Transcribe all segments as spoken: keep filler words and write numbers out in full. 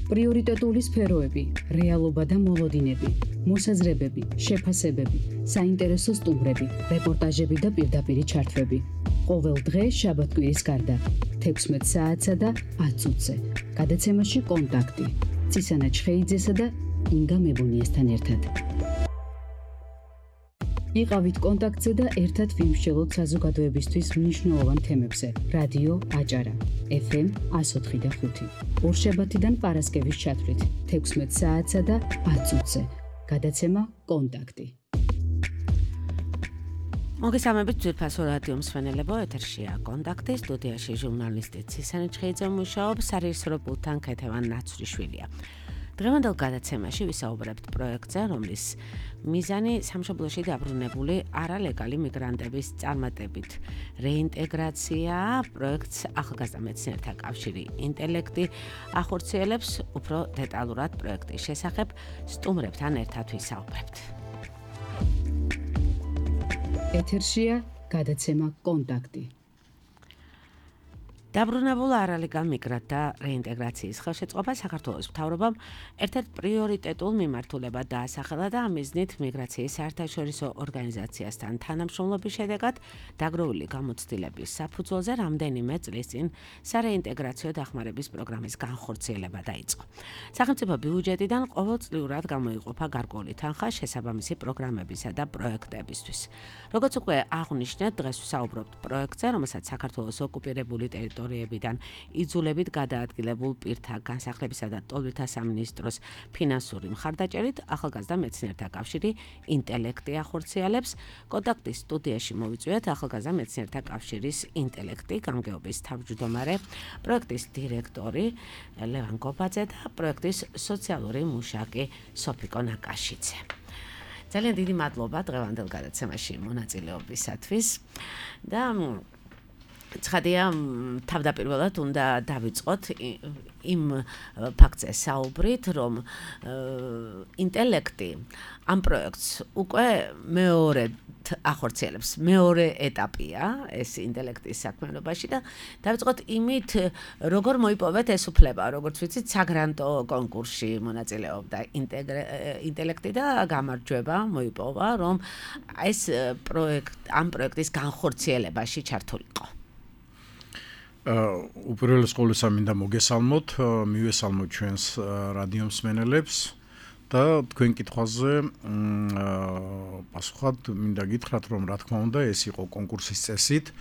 პრიორიტეტული სფეროები, რეალობა და მოლოდინები, მოსაზრებები, შეფასებები, საინტერესო სტუმრები, რეპორტაჟები და პირდაპირი ჩართვები. ყოველ დღე შაბათ-კვირის გარდა, თექვსმეტ საათსა და ათ წუთზე. გადაცემაში კონტაქტი. წისანა ჩხეიძესა და ინგა მებუნიესთან ერთად. იყავით კონტაქტზე და ერთად ვიმსჯელოთ საზოგადოებისთვის მნიშვნელოვან თემებზე. რადიო აჭარა, ეფ ემ εκατო ოთხი და ხუთი. ორშაბათიდან პარასკევის ჩათვლით, თექვსმეტ საათსა და ათ წუთზე. გადაცემა კონტაქტი. მოგესალმებით ძვირფასო რადიო მსმენელებო, ეთერშია კონტაქტი, სტუდიაში ჟურნალისტი წისანა ჩხეიძე მუშაობს, სარეჟისორო პულტთან ქეთევან ნაცვლიშვილია. დღევანდელ გადაცემაში ვისაუბრებთ პროექტზე, რომლის მიზანი სამშობლოში დაბრუნებული არალეგალი მიგრანტების წარმატებით რეინტეგრაციაა. პროექტს ახალგაზრდა მეცნიერთა კავშირი ინტელექტი ახორციელებს. უფრო დეტალურად პროექტის შესახებ სტუმრებთან ერთად ვისაუბრებთ. ეთერშია გადაცემა კონტაქტი. დაბრუნებულ არალეგალ მიგრანტთა რეინტეგრაციის ხელშეწყობა საქართველოს მთავრობამ ერთ-ერთ პრიორიტეტულ მიმართულებად დაასახელა და ამ მიზნით მიგრაციის საერთაშორისო ორგანიზაციასთან თანამშრომლობის შედეგად დაგროვილი გამოცდილების საფუძველზე რამდენიმე წლის წინ სარეინტეგრაციო დახმარების პროგრამის განხორციელება დაიწყო. სახელმწიფო ბიუჯეტიდან ყოველწლიურად გამოიყოფა გარკვეული თანხა შესაბამისი პროგრამებისა და პროექტებისთვის. როგორც უკვე აღნიშნეთ, დღეს ვსაუბრობთ პროექტზე, რომელსაც საქართველოს ოკუპირებული ტერიტორიებიდან იძულებით გადაადგილებულ პირთა განსახლებისა და ტოლვილთა სამინისტროს ფინანსური მხარდაჭერით ახალგაზრდა მეცნიერთა კავშირი ინტელექტი ახორციელებს. კონტაქტის სტუდიაში მოვიწვიეთ ახალგაზრდა მეცნიერთა კავშირის ინტელექტი გამგეობის თავმჯდომარე, პროექტის დირექტორი ლევან გობაძე და პროექტის სოციალური მუშაკი სოფიკო ნაკაშიძე. ძალიან დიდი მადლობა დღევანდელ გადაცემაში მონაწილეობისათვის და ცხადია, თავდაპირველად უნდა დავიწყოთ იმ ფაქტზე საუბრით, რომ ინტელექტი ამ პროექტს უკვე მეორედ ახორციელებს. მეორე ეტაპია ეს ინტელექტის საქმიანობაში და დავიწყოთ იმით, როგორ მოიპოვეთ ეს უფლება, როგორც ვიცით, საგრანტო კონკურსში მონაწილეობდა ინტელექტი და გამარჯვება მოიპოვა, რომ ეს პროექტ ამ პროექტის განხორციელებაში ჩართულიყო. უპირველეს ყოვლისა მინდა მოგესალმოთ, მივესალმოთ ჩვენს რადიო მსმენელებს და თქვენ კითხვაზე პასუხად მინდა გითხრათ, რომ რა თქმა უნდა ეს იყო კონკურსის წესით.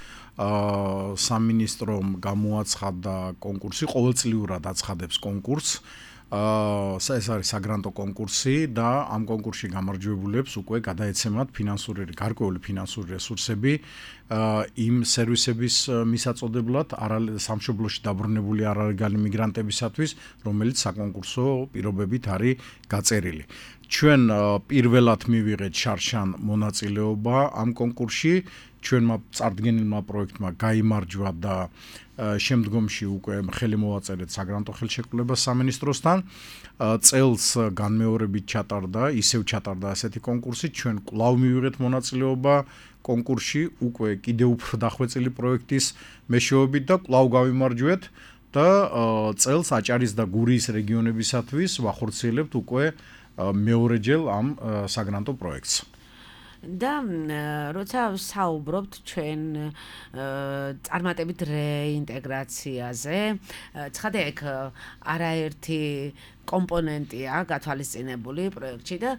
სამინისტრომ გამოაცხადა კონკურსი, ყოველწლიურად აცხადებს კონკურსს. ეს არის საგრანტო კონკურსი და ამ კონკურსში გამარჯვებულებს უკვე გადაეცემათ ფინანსური გარკვეული ფინანსური რესურსები იმ სერვისების მისაწოდებლად სამშობლოში დაბრუნებული არალეგალი მიგრანტებისათვის, რომელიც საკონკურსო პირობებით არის გაწერილი. ჩვენ პირველად მივიღეთ შარშან მონაწილეობა ამ კონკურსში, ჩვენმა წარდგენილმა პროექტმა გაიმარჯვა და შემდგომში უკვე ხელი მოვაწერეთ საგრანტო ხელშეკრულებას სამინისტროსთან. წელს განმეორებით ჩატარდა, ისევ ჩატარდა ასეთი კონკურსი, ჩვენ კვლავ მივიღეთ მონაწილეობა კონკურსში, უკვე კიდევ უფრო დახვეწილი პროექტის მეშვეობით და კვლავ გავიმარჯვეთ და წელს აჭარის და გურიის რეგიონებისათვის ვახორციელებთ უკვე მეორეჯერ ამ საგრანტო პროექტს. და როცა საუბრობთ ჩვენ წარმატებით რეინტეგრაციაზე, ცხადია იქ არაერთი კომპონენტია გათვალისწინებული პროექტში და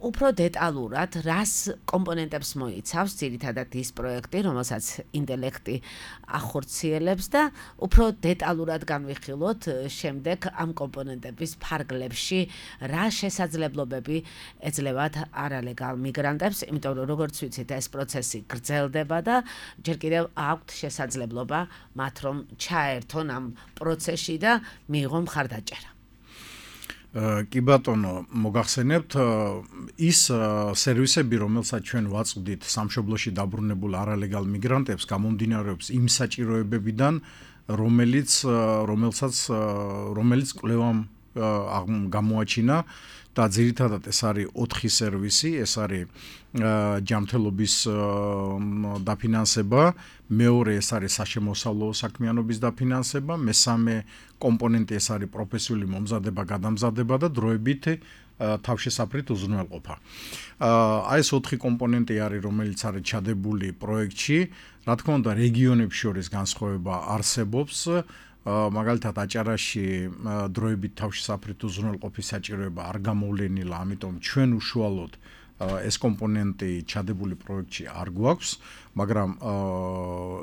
უფრო დეტალურად რას კომპონენტებს მოიცავს ძირითადად ის პროექტი, რომელსაც ინტელექტი ახორციელებს და უფრო დეტალურად განვიხილოთ შემდეგ ამ კომპონენტების ფარგლებში რა შესაძლებლობები ეძლევათ არალეგალ მიგრანტებს, იმიტომ რომ როგორც ვიცით ეს პროცესი გრძელდება და ჯერ კიდევ აქვთ შესაძლებლობა მათ რომ ჩაერთონ ამ პროცესში და მიიღონ მხარდაჭერა. კი ბატონო, მოგახსენებთ ის სერვისები, რომელსაც ჩვენ ვაწყდით სამშობლოში დაბრუნებულ არალეგალ მიგრანტებს, გამომდინარეობს იმ საჭიროებებიდან, რომელიც რომელსაც რომელიც კვლევამ გამოაჩინა და ძირითადად ეს არის ოთხი სერვისი, ეს არის ჯანმრთელობის დაფინანსება, მეორე ეს არის საშემოსავლო საქმიანობის დაფინანსება, მესამე კომპონენტი ეს არის პროფესიული მომზადება, გადამზადება და დროებით თავშესაფრით უზრუნველყოფა. აი ეს ოთხი კომპონენტი არის, რომელიც არის ჩადებული პროექტში. Რა თქმა უნდა, რეგიონებს შორის განსხვავება არსებობს. მაგალითად აჭარაში დროებით თავშესაფრით უზრუნველყოფის საჭიროება არ გამოვლენილა, ამიტომ ჩვენ უშუალოდ ეს კომპონენტი ჩადებული პროექტში არ გვაქვს, მაგრამ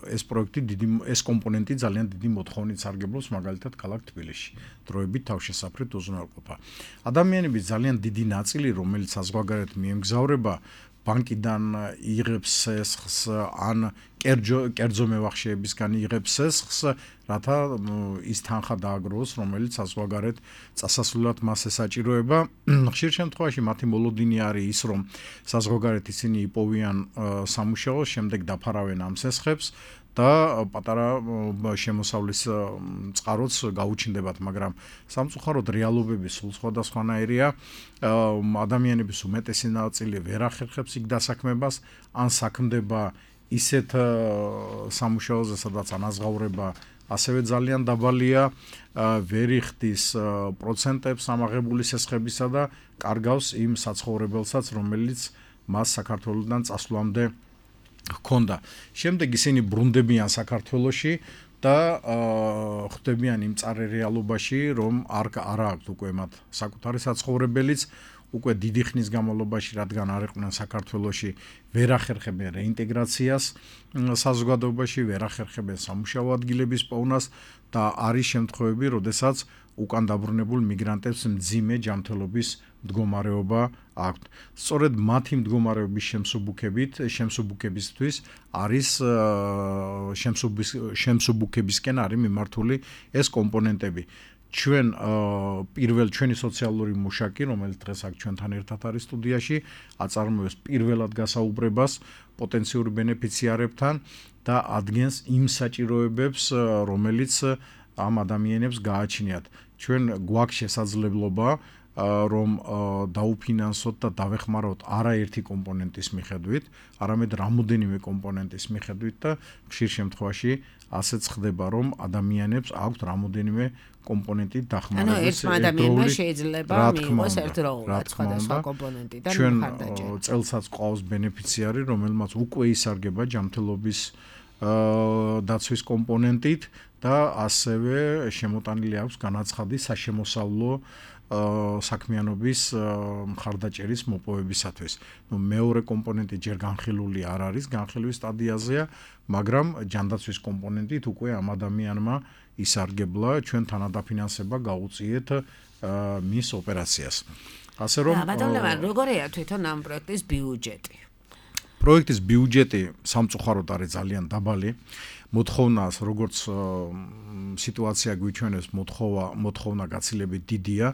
ეს პროექტი დიდი ეს კომპონენტი ძალიან დიდი მოთხოვნით სარგებლობს მაგალითად ქალაქ თბილისში. დროებით თავშესაფრით უზრუნველყოფა. ადამიანების ძალიან დიდი ნაწილი, რომელიც საზღვარგარეთ მიემგზავრება, ბანკიდან იღებს სესხს ან კერძო მევახშეებისგან იღებს სესხს, რათა ის თანხა დააგროვოს, რომელიც საზღვარგარეთ წასასვლელად მას ესაჭიროება. ხშირ შემთხვევაში მათი მოლოდინი არის ის, რომ საზღვარგარეთ ისინი იპოვიან სამუშაოს, შემდეგ დაფარავენ ამ სესხებს და პატარა შემოსავლის წყაროც გაუჩნდებათ, მაგრამ სამწუხაროდ რეალობები სულ სხვადასხვანაირია. ადამიანების უმეტესი ნაწილი ვერ ახერხებს იქ დასაქმებას, ან საქმდება ისეთ სამუშაოზე, სადაც ანაზღაურება ასევე ძალიან დაბალია, ვერ იხდის პროცენტებს ამაღებული სესხებისა და კარგავს იმ საცხოვრებელსაც, რომელიც მას საქართველოსდან წასვლამდე ჰქონდა. შემდეგ ისინი ბრუნდებიან საქართველოში და ხვდებიან იმ მწარე რეალობაში, რომ არ არ აქვთ უკვე მათ საკუთარი საცხოვრებელიც, უკვე დიდი ხნის განმავლობაში, რადგან არ იყვნენ საქართველოში, ვერ ახერხებენ რეინტეგრაციას საზოგადოებაში, ვერ ახერხებენ სამუშაო ადგილების პოვნას და არის შემთხვევები, როდესაც უკან დაბრუნებულ მიგრანტებს მძიმე ჯანმრთელობის მდგომარეობა აქვთ. სწორედ მათი მდგომარეობის შემსუბუქებით, შემსუბუქებისთვის არის შემსუბუქებისკენ არის მიმართული ეს კომპონენტები. ჩვენ პირველ ჩვენი სოციალური მუშაკი, რომელიც დღეს აქ ჩვენთან ერთად არის სტუდიაში, აწარმოებს პირველად გასაუბრებას პოტენციურ ბენეფიციარებთან და ადგენს იმ საჭიროებებს, რომელიც ამ ადამიანებს გააჩნიათ. ჩვენ გვაქვს შესაძლებლობა რომ დაუფინანსოთ და დავეხმაროთ არაერთი კომპონენტის მიხედვით, არამედ რამოდენიმე კომპონენტის მიხედვით და ხშირ შემთხვევაში ასეც ხდება, რომ ადამიანებს აქვთ რამოდენიმე კომპონენტი დახმარების. ანუ ერთმა ადამიანმა შეიძლება მიიღოს ერთდროულად სხვადასხვა კომპონენტიდან მხარდაჭერა. ჩვენ წელსაც ყავს ბენეფიციარი, რომელმაც უკვე ისარგება ჯანმრთელობის დაცვის კომპონენტით და ასევე შემოტანილი აქვს განაცხადი საშემოსავლო საქმიანობის მხარდაჭერის მოპოვებისათვის. ნუ მეორე კომპონენტი ჯერ განხილული არ არის, განხილვის სტადიაზეა, მაგრამ ჯანდაცვის კომპონენტით უკვე ამ ადამიანმა ისარგებლა, ჩვენ თანადაფინანსება გაუწიეთ მის ოპერაციას. ასე რომ ბატონო, როგორია თვითონ ამ პროექტის ბიუჯეტი? პროექტის ბიუჯეტი სამწუხაროდ არის ძალიან დაბალი. მოთხოვნას, როგორც სიტუაცია გვიჩვენებს, მოთხოვა მოთხოვნა გაცილებით დიდია.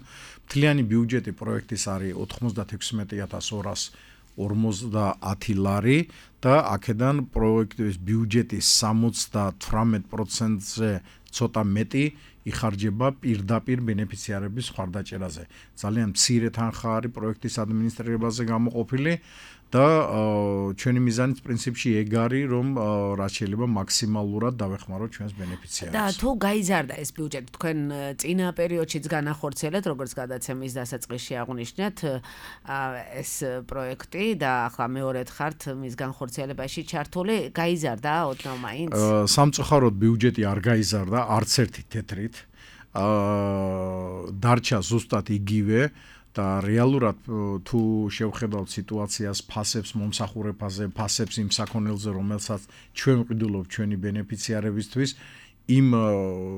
მთლიანი ბიუჯეტი პროექტის არის ოთხმოცდაექვსმეტი ათას ორას ორმოცდაათი ლარი და აქედან პროექტის ბიუჯეტის სამოცდათვრამეტ პროცენტზე ცოტა მეტი იხარჯება პირდაპირ ბენეფიციარების მხარდაჭერაზე. ძალიან მცირე თანხა არის პროექტის ადმინისტრირებაზე გამოყოფილი და ჩვენი მიზანიც პრინციპში ეგ არის, რომ რაც შეიძლება მაქსიმალურად დავეხმაროთ ჩვენს ბენეფიციარებს. და თუ გაიზარდა ეს ბიუჯეტი, თქვენ წინა პერიოდშიც განახორციელეთ, როგორც გადაცემის დასაწყისში აღნიშნეთ, ეს პროექტი და ახლა მეორედ ხართ მის განხორციელებაში ჩართული, გაიზარდა ოდნავ მაინც? სამწუხაროდ ბიუჯეტი არ გაიზარდა არც ერთი თეთრით. დარჩა ზუსტად იგივე და რეალურად თუ შევხედავთ სიტუაციას, ფასებს მომსახურებაზე, ფასებს იმ საქონელზე, რომელსაც ჩვენ ვყიდულობთ ჩვენი ბენეფიციარებისთვის, იმ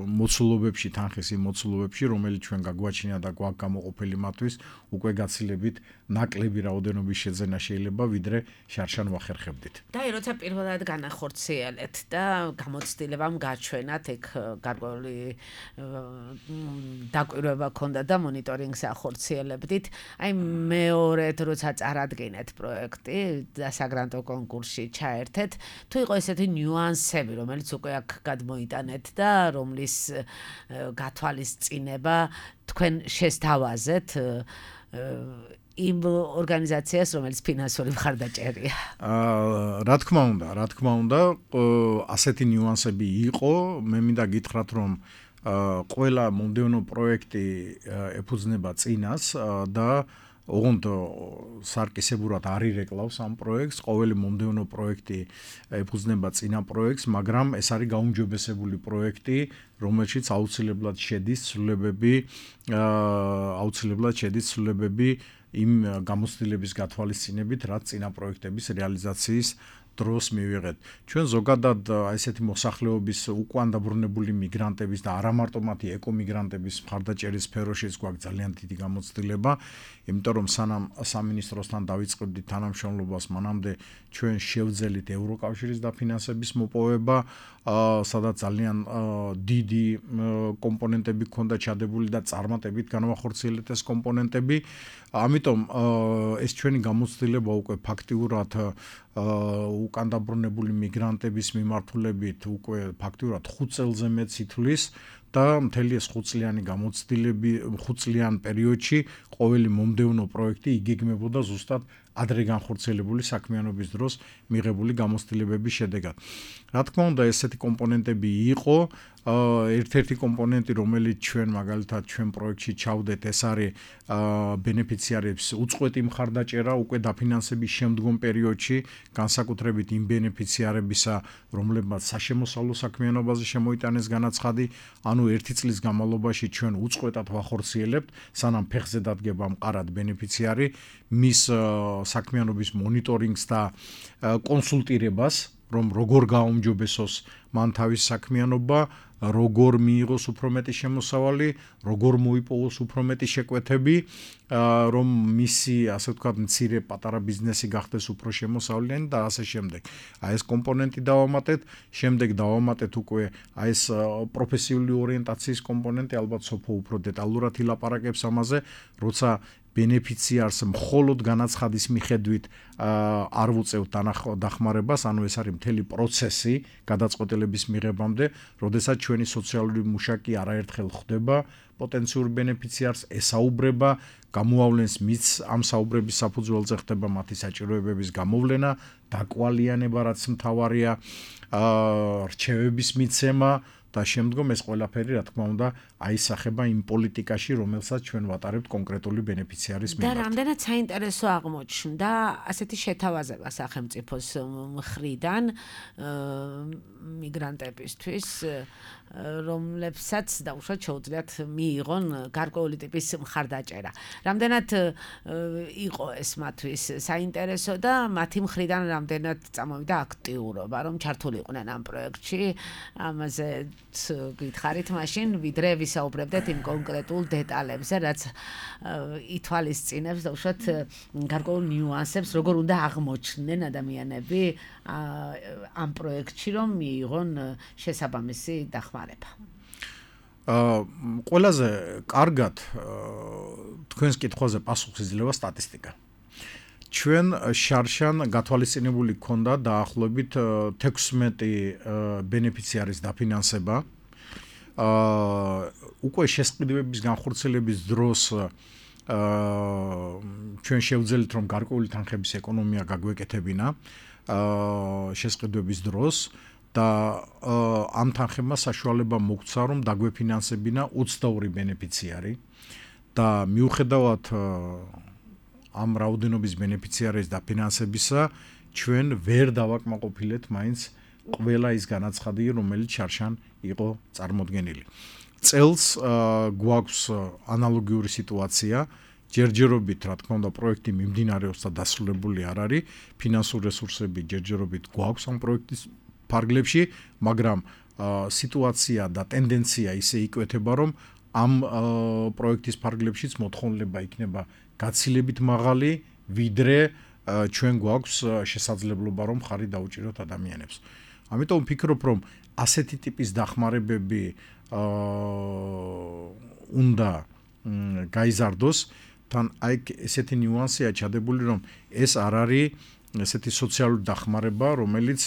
მოცულობებში, თანხის იმ მოცულობებში, რომელიც ჩვენ გაგვაჩნია და გვაქვს გამოყოფილი მათთვის, უკვე გაცილებით ნაკლები რაოდენობის შეძენა შეიძლება, ვიდრე შარშან ვახერხებდით. და როცა პირველად განახორციელეთ და გამოცდილებამ გაჩვენათ, ეგ გარკვეული დაკვირვება ქონდა და მონიტორინგს ახორციელებდით, აი მეორედ როცა წარადგენეთ პროექტი და საგრანტო კონკურსში ჩაერთეთ, თუ იყო ესეთი ნიუანსები, რომელიც უკვე აქ გადმოიტანეთ და რომლის გათვალისწინება თქვენ შესთავაზეთ იმ ორგანიზაციას, რომელიც ფინანსური მხარდაჭერია. აა, რა თქმა უნდა, რა თქმა უნდა, ასეთი ნიუანსები იყო, მე მინდა გითხრათ, რომ ყველა მომდევნო პროექტი ეფუძნება წინას და ოღონდ სარკისებურად არ ირეკლავს ამ პროექტს, ყოველი მომდევნო პროექტი ეფუძნება წინა პროექტს, მაგრამ ეს არის გაუმჯობესებული პროექტი, რომელშიც აუცილებლად შედის ცვლილებები, აუცილებლად შედის ცვლილებები იმ გამოცდილების გათვალისწინებით, რაც წინა პროექტების რეალიზაციის დროს მივიღეთ. ჩვენ ზოგადად ესეთი მოსახლეობის უკან დაბრუნებული მიგრანტების და არა მარტო მათი ეკომიგრანტების მხარდაჭერის სფეროშიც გვაქვს ძალიან დიდი გამოცდილება, იმიტომ რომ სანამ სამინისტროსთან დავიწყებდით თანამშრომლობას, მანამდე ჩვენ შევძელით ევროკავშირის დაფინანსების მოპოვება, სადაც ძალიან დიდი კომპონენტები ჰქონდა ჩადებული და წარმატებით განვახორციელეთ ეს კომპონენტები. ამიტომ ეს ჩვენი გამოცდილება უკვე ფაქტიურად უკან დაბრუნებული მიგრანტების მიმართულებით უკვე ფაქტიურად ხუთ წელზე მეტს ითვლის და მთელი ეს ხუთწლიანი გამოცდილები ხუთწლიან პერიოდში ყოველი მომდევნო პროექტი იგეგმებოდა ზუსტად ადრე განხორციელებული საქმიანობის დროს მიღებული გამოცდილებების შედეგად. რა თქმა უნდა, ესეთი კომპონენტები იყო, ერთ-ერთი კომპონენტი, რომელიც ჩვენ მაგალითად ჩვენ პროექტში ჩავდეთ, ეს არის ბენეფიციარების უწყვეტი მხარდაჭერა უკვე დაფინანსების შემდგომ პერიოდში, განსაკუთრებით იმ ბენეფიციარებისა, რომლებმაც საშემოსავლო საქმიანობაზე შემოიტანეს განაცხადი, ანუ ერთი წლის განმავლობაში ჩვენ უწყვეტად ვახორციელებთ, სანამ ფეხზე დადგება მყარად ბენეფიციარი, მის საქმიანობის მონიტორინგს და კონსულტირებას, რომ როგორ გააუმჯობესოს მან თავის საქმიანობა, როგორ მიიღოს უფრო მეტი შემოსავალი, როგორ მოიპოვოს უფრო მეტი შეკვეთები, რომ მისი, ასე ვთქვათ, მცირე პატარა ბიზნესი გახდეს უფრო შემოსავლიანი და ასე შემდეგ. აი ეს კომპონენტი დავამატეთ, შემდეგ დავამატეთ უკვე აი ეს პროფესიული ორიენტაციის კომპონენტი, ალბათ სოფო უფრო დეტალურად ილაპარაკებს ამაზე, როცა ბენეფიციარს მხოლოდ განაცხადის მიხედვით არ ვუწევთ დახმარებას, ანუ ეს არის მთელი პროცესი გადაწყვეტილების მიღებამდე, როდესაც ჩვენი სოციალური მუშაკი არაერთხელ ხვდება პოტენციურ ბენეფიციარს, ესაუბრება, გამოავლენს მის ამ საუბრების საფუძველზე ხდება მათი საჭიროებების გამოვლენა, დაკვალიანება, რაც მთავარია, რჩევების მიცემა და შემდგომ ეს ყველაფერი, რა თქმა უნდა, აისახება იმ პოლიტიკაში, რომელსაც ჩვენ ვატარებთ კონკრეტული ბენეფიციარის მიმართ. და რამდენად საინტერესო აღმოჩნდა ასეთი შეთავაზება სახელმწიფოს მხრიდან მიგრანტებისთვის, რომლებსაც დაუშვათ შეუძლიათ მიიღონ გარკვეული ტიპის მხარდაჭერა. რამდენად იყო ეს მათთვის საინტერესო და მათი მხრიდან რამდენად წამოვიდა აქტიურობა, რომ ჩართულიყვნენ ამ პროექტში, ამაზე გითხარით მაშინ, ვიდრე ვისაუბრებდეთ იმ კონკრეტულ დეტალებზე, რაც ითვალისწინებს დაუშვათ გარკვეულ ნიუანსებს, როგორ უნდა აღმოჩნდნენ ადამიანები ამ პროექტში, რომ მიიღონ შესაბამისი დახმარება. აა ყველაზე კარგად თქვენს კითხვაზე პასუხს იძლევა სტატისტიკა. ჩვენ შარშან გათვალისწინებული გქონდა დაახლოებით თექვსმეტი ბენეფიციარის დაფინანსება. აა უკვე შესყიდვების განხორციელების დროს აა ჩვენ შევძელით, რომ გარკვეული თანხების ეკონომია გაგვეკეთებინა აა შესყიდვების დროს და ამ თანხებმა საშუალება მოგვცა, რომ დაგვეფინანსებინა ოცდაორი ბენეფიციარი და მიუხედავად ამ რაოდენობის ბენეფიციარის დაფინანსებისა, ჩვენ ვერ დავაკმაყოფილეთ მაინც ყველა ის განაცხადი, რომელიც შარშან იყო წარმოდგენილი. წელს გვაქვს ანალოგიური სიტუაცია, ჯერჯერობით, რა თქმა უნდა, პროექტი მიმდინარეობს და დასრულებული არ არის, ფინანსური რესურსები ჯერჯერობით გვაქვს ამ პროექტის ფარგლებში, მაგრამ სიტუაცია და ტენდენცია ისე იკვეთება, რომ ამ პროექტის ფარგლებშიც მოთხოვნილება იქნება გაცილებით მაღალი, ვიდრე ჩვენ გვაქვს შესაძლებლობა, რომ ხარი დაუჭიროთ ადამიანებს. ამიტომ ვფიქრობ, რომ ასეთი ტიპის დახმარებები უნდა გაიზარდოს, თან აი ესეთი ნიუანსია ჩადებული, რომ ეს არ არის ესეთი სოციალური დახმარება, რომელიც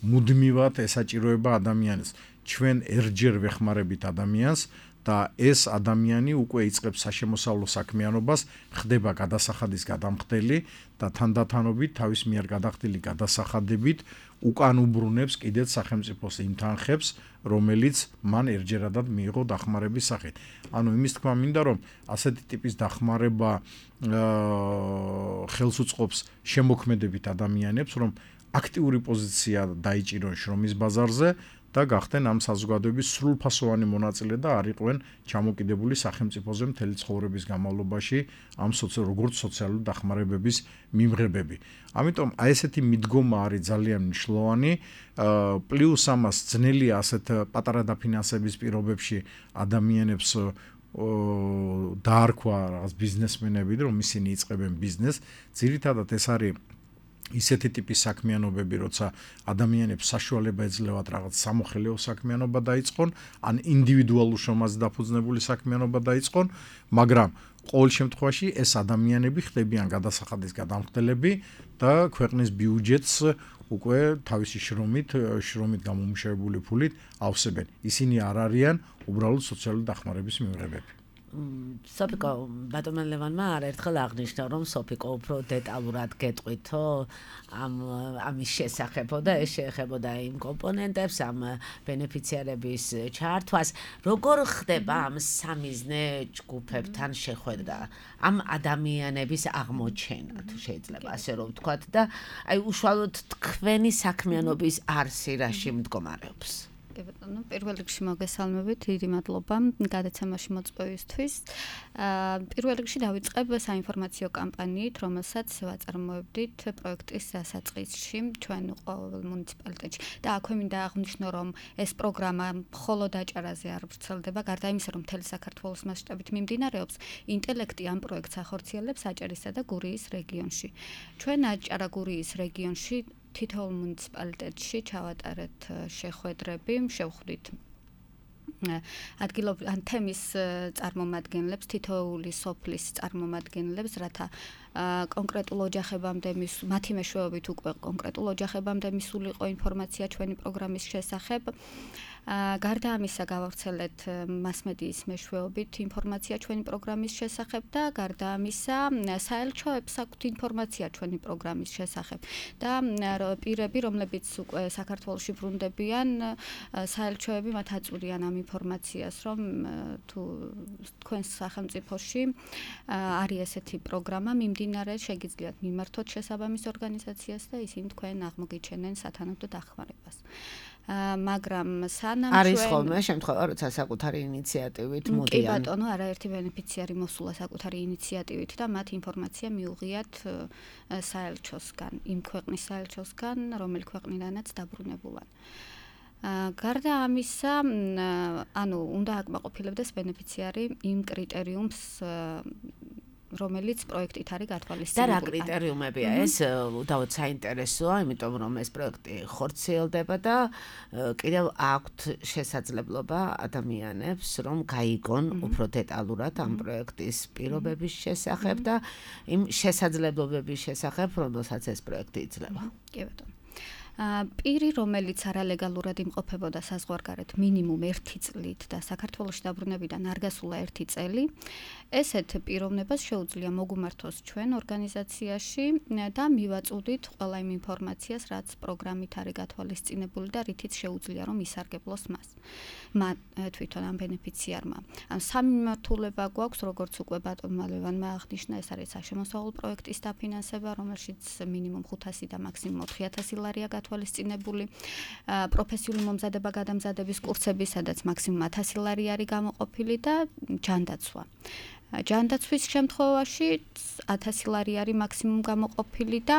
მუდმივად ესაჭიროება ადამიანს. ჩვენ ერთჯერ ვეხმარებით ადამიანს და ეს ადამიანი უკვე იწყებს საშემოსავლო საქმიანობას, ხდება გადასახადის გადამხდელი და თანდათანობით თავის მიერ გადახდილი გადასახადებით უკან უბრუნებს კიდეც სახელმწიფოს იმ თანხებს, რომელიც მან ერთჯერადად მიიღო დახმარების სახით. ანუ იმის თქმა მინდა, რომ ასეთი ტიპის დახმარება ხელს უწყობს შემოქმედებით ადამიანებს, რომ აქტიური პოზიცია დაიჭირონ შრომის ბაზარზე და გახდნენ ამ საზოგადოების სრულფასოვანი მონაწილე და არ იყვნენ ჩამოკიდებული სახელმწიფოზე მთელი ცხოვრების განმავლობაში ამ როგორც სოციალური დახმარებების მიმღებები. ამიტომ აი ესეთი მიდგომა არის ძალიან მნიშვნელოვანი, პლუს ამას ძნელია ასეთ პატარა დაფინანსების პირობებში ადამიანებს დაარქვა რაღაც ბიზნესმენები, რომ ისინი იწყებენ ბიზნესს. ძირითადად ეს არის ისეთი ტიპის საქმიანობები, როცა ადამიანებს საშუალება ეძლევათ რაღაც სამოხელეო საქმიანობა დაიწყონ, ან ინდივიდუალურ შრომაზე დაფუძნებული საქმიანობა დაიწყონ, მაგრამ ყოველ შემთხვევაში ეს ადამიანები ხდებიან გადასახადის გადამხდელები და ქვეყნის ბიუჯეტს უკვე თავისი შრომით, შრომით გამომუშავებული ფულით ავსებენ. ისინი არ არიან უბრალოდ სოციალური დახმარების მიმღებები. სოფიკო, ბატონმა ლევანმა არაერთხელ აღნიშნა, რომ სოფიკო უფრო დეტალურად გეტყვითო ამ ამის შესახებო და ეს შეეხებოდა იმ კომპონენტებს, ამ ბენეფიციარების ჩართვას. როგორ ხდება ამ სამიზნე ჯგუფებთან შეხვედრა, ამ ადამიანების აღმოჩენა, თუ შეიძლება ასე რომ ვთქვათ და აი უშუალოდ თქვენი საქმიანობის არსი რაში მდგომარეობს? კი ბატონო, პირველ რიგში მოგესალმებით, დიდი მადლობა გადაცემაში მოწვევისთვის. პირველ რიგში დავიწყებ საინფორმაციო კამპანიით, რომელსაც ვაწარმოებდით პროექტის დასაწყისში ჩვენ ყოველ მუნიციპალიტეტში. და აქვე მინდა აღვნიშნო, რომ ეს პროგრამა მხოლოდ აჭარაზე არ ვრცელდება, გარდა იმისა, რომ მთელი საქართველოს მასშტაბით მიმდინარეობს, ინტელექტი ამ პროექტს ახორციელებს აჭარისა და გურიის რეგიონში. ჩვენ აჭარა-გურიის რეგიონში თითოეულ მუნიციპალიტეტში ჩავატარეთ შეხვედრები, შევხვდით ადგილობრივ ან თემის წარმომადგენლებს, თითოეული სოფლის წარმომადგენლებს, რათა კონკრეტულ ოჯახებამდე მათი მეშვეობით უკვე კონკრეტულ ოჯახებამდე მისულიყო ინფორმაცია ჩვენი პროგრამის შესახებ. გარდა ამისა გავავრცელეთ მასმედიის მეშვეობით ინფორმაცია ჩვენი პროგრამის შესახებ და გარდა ამისა საელჩოებს აქვთ ინფორმაცია ჩვენი პროგრამის შესახებ და პირები, რომლებიც უკვე საქართველოში ბრუნდებიან, საელჩოები მათ აწვდიან ამ ინფორმაციას, რომ თუ თქვენს სახელმწიფოში არის ესეთი პროგრამა მიმდინარე, შეგიძლიათ მიმართოთ შესაბამის ორგანიზაციას და ისინი თქვენ აღმოგიჩენენ სათანადო დახმარებას. მაგრამ სანამ არის ხოლმე შემთხვევა, როცა საკუთარი ინიციატივით მოდიან. კი ბატონო, არაერთი ბენეფიციარი მოსულა საკუთარი ინიციატივით და მათ ინფორმაცია მიუღიათ საელჩოსგან, იმ ქვეყნის საელჩოსგან, რომელი ქვეყნიდანაც დაბრუნებულან. გარდა ამისა, ანუ უნდა აკმაყოფილებდეს ბენეფიციარი იმ კრიტერიუმს, რომელიც პროექტით არის გათვალისწინებული. და რა კრიტერიუმებია ეს? უდავოდ საინტერესოა, იმიტომ რომ ეს პროექტი ხორციელდება და კიდევ აქვთ შესაძლებლობა ადამიანებს, რომ გაიგონ უფრო დეტალურად ამ პროექტის პირობების შესახებ და იმ შესაძლებლობების შესახებ, რომელსაც ეს პროექტი იძლევა. კი ბატონო. პირი, რომელიც არალეგალურად იმყოფებოდა საზღვარგარეთ მინიმუმ ერთი წლით და საქართველოში დაბრუნებიდან არ გასულა ერთი წელი, ესეთ პიროვნებას შეუძლია მოგუმართოს ჩვენ ორგანიზაციაში და მივაწვდით ყველა იმ ინფორმაციას, რაც პროგრამით არის გათვალისწინებული და რითიც შეუძლია რომ ისარგებლოს მას. მათ თვითონ ამ ბენეფიციარმა. ან სამი მიმართულება გვაქვს, როგორც უკვე ბატონმა ლევანმა აღნიშნა, ეს არის საშემოსავლო პროექტის დაფინანსება, რომელშიც მინიმუმ ხუთასი და მაქსიმუმ ოთხი ათასი ლარია გათვალისწინებული, პროფესიული მომზადება გადამზადების კურსები, სადაც მაქსიმუმ ათასი ლარი არის გამოყოფილი და ჯანდაცვა. ჯანდაცვის შემთხვევაში ათასი ლარი არის მაქსიმუმ გამოყოფილი და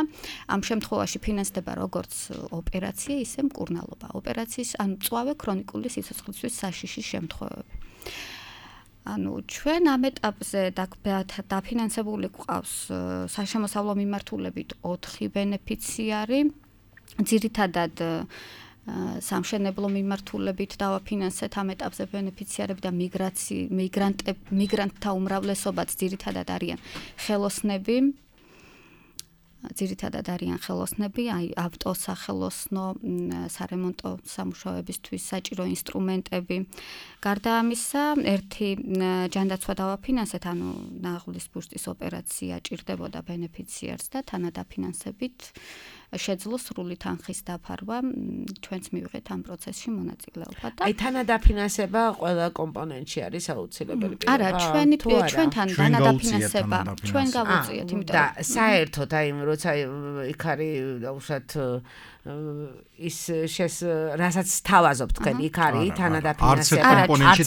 ამ შემთხვევაში ფინანსდება როგორც ოპერაცია, ისე მკურნალობა. ოპერაციის ან მწვავე ქრონიკული სიცოცხლისთვის საშიშის შემთხვევები. ანუ ჩვენ ამ ეტაპზე დაფინანსებული გვყავს საშემოსავლო მიმართულებით ოთხი ბენეფიციარი, ძირითადად სამშენებლო მიმართულებით დავაფინანსეთ ამ ეტაპზე ბენეფიციარები და მიგრაცი მიგრანტთა უმრავლესობაც ძირითადად არიან ხელოსნები, ძირითადად არიან ხელოსნები, აი ავტოსახელოსნო, სარემონტო სამუშაოებისთვის საჭირო ინსტრუმენტები. გარდა ამისა, ერთი ჯანდაცვა დავაფინანსეთ, ანუ ნაღლის ბუშტის ოპერაცია ჭირდებოდა ბენეფიციარს და თანადაფინანსებით შეძლო სრული თანხის დაფარვა, ჩვენც მივიღეთ ამ პროცესში მონაწილეობა და აი თანადაფინანსება ყველა კომპონენტში არის აუცილებელი პირობა. არა, ჩვენი ჩვენთან თანადაფინანსება ჩვენ გავუწიეთ, იმიტომ და საერთოდ აი როცა იქ არის უშუალოდ ის შეს რასაც თავაზობ თქვენ იქ არის თანადაფინანსება. არა, კომპონენტში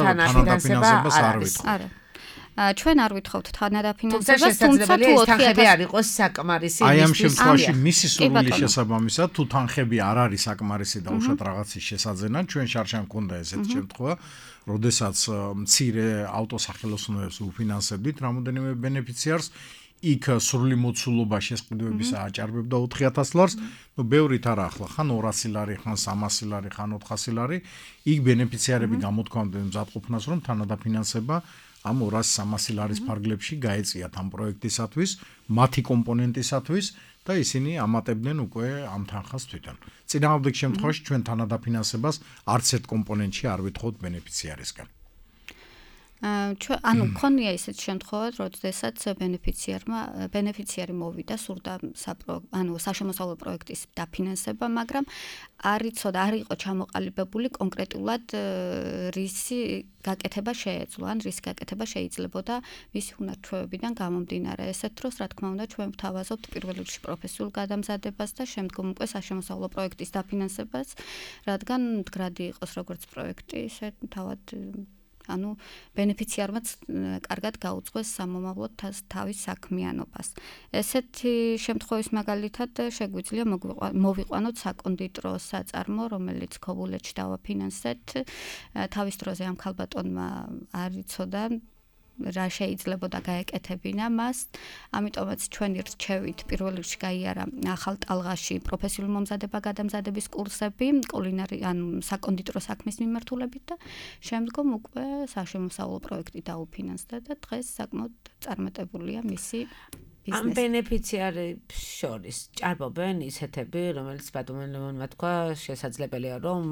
თანადაფინანსება არ არის. არა. ჩვენ არ ვითხოვთ თანადაფინანსებას, თუმცა თუ ოთხი ათასი არ იყოს საკმარისი აი ამ შემთხვევაში მისი სრული შესაბამისად თუ თანხები არ არის საკმარისი და უშუალოდ რაღაცის შესაძენა, ჩვენ შარშან მქონდა ესეთი შემთხვევა, როდესაც მცირე ავტოსახელოსნოებს უფინანსებდით რამოდენიმე ბენეფიციარს იქ სრული მოცულობა შესყიდვებისა აჭარბებდა ოთხი ათას ლარს, ნუ ბევრით არა ახლა, ხან ორასი ლარი, ხან სამასი ლარი, ხან ოთხასი ლარი, იქ ბენეფიციარები გამოთქვამდნენ მზადყოფნას, რომ თანადაფინანსება ამ ორასი სამასი ლარის ფარგლებში გაეწიათ ამ პროექტისათვის, მათი კომპონენტისათვის და ისინი ამატებდნენ უკვე ამ თანხას თვითონ. წინააღმდეგ შემთხვევაში ჩვენ თანადაფინანსებას არც ერთ კომპონენტში არ ვითხოვთ ბენეფიციარისგან. ჩვენ ანუ მქონია ისეთ შემთხვევად, როდესაც ბენეფიციარმა ბენეფიციარი მოვიდა სურდა ანუ საშემოსავლო პროექტის დაფინანსება, მაგრამ არ იცოდა, არ იყო ჩამოყალიბებული კონკრეტულად რისი გაკეთება შეეძლო, ან რის გაკეთება შეიძლებოდა მისი უნარჩვევებიდან გამომდინარე. ესეთ დროს, რა თქმა უნდა, ჩვენ ვთავაზობთ პირველ რიგში პროფესიულ გადამზადებას და შემდგომ უკვე საშემოსავლო პროექტის დაფინანსებას, რადგან მდგრადი იყოს როგორც პროექტი, ისე თავად ანუ ბენეფიციარმაც კარგად გაუძღვეს სამომავლოდ თავის საქმიანობას. ესეთი შემთხვევის მაგალითად შეგვიძლია მოვიყვანოთ საკონდიტრო საწარმო, რომელიც ქობულეთში დავაფინანსეთ. თავის დროზე ამ ქალბატონმა არ იცოდა რა შეიძლებოდა გაეკეთებინა მას. ამიტომაც ჩვენი რჩევით პირველ რიგში გაიარა ახალ ტალღაში პროფესიული მომზადება გადამზადების კურსები, კულინარი ან საკონდიტრო საქმის მიმართულებით და შემდგომ უკვე საშემოსავლო პროექტი დაუფინანსდა და დღეს საკმაოდ წარმატებულია მისი ამ ბენეფიციარებს შორის ჭარბობენ ისეთები, რომელიც ბატონელმა თქვა, შესაძლებელია რომ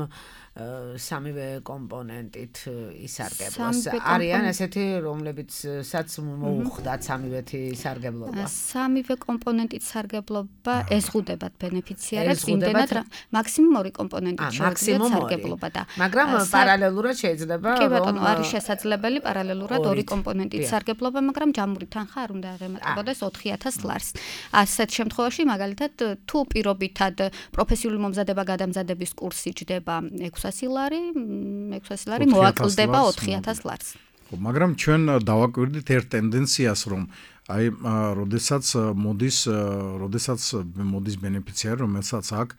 სამივე კომპონენტით ისარგებლოს. არიან ესეთი, რომლებიცაც მოუხდათ სამივეთი სარგებლობა. სამივე კომპონენტით სარგებლობა ეზღუდებათ ბენეფიციარებს, იმდენად მაქსიმუმ ორი კომპონენტით შეეძლოთ სარგებლობა და მაგრამ პარალელურად შეიძლება კი ბატონო, არის შესაძლებელი პარალელურად ორი კომპონენტით სარგებლობა, მაგრამ ჯამური თანხა არ უნდა აღემატებოდეს ოთხი ათას ლარს. ასეთ შემთხვევაში მაგალითად თუ პირობითად პროფესიული მომზადება გადამზადების კურსი ჯდება ექვსასი ლარი, ექვსასი ლარი მოაკლდება ოთხი ათას ლარს. ხო, მაგრამ ჩვენ დავაკვირდით ერთ ტენდენციას, რომ აი, როდესაც მოდის, როდესაც მოდის ბენეფიციარი, რომელსაც აქვს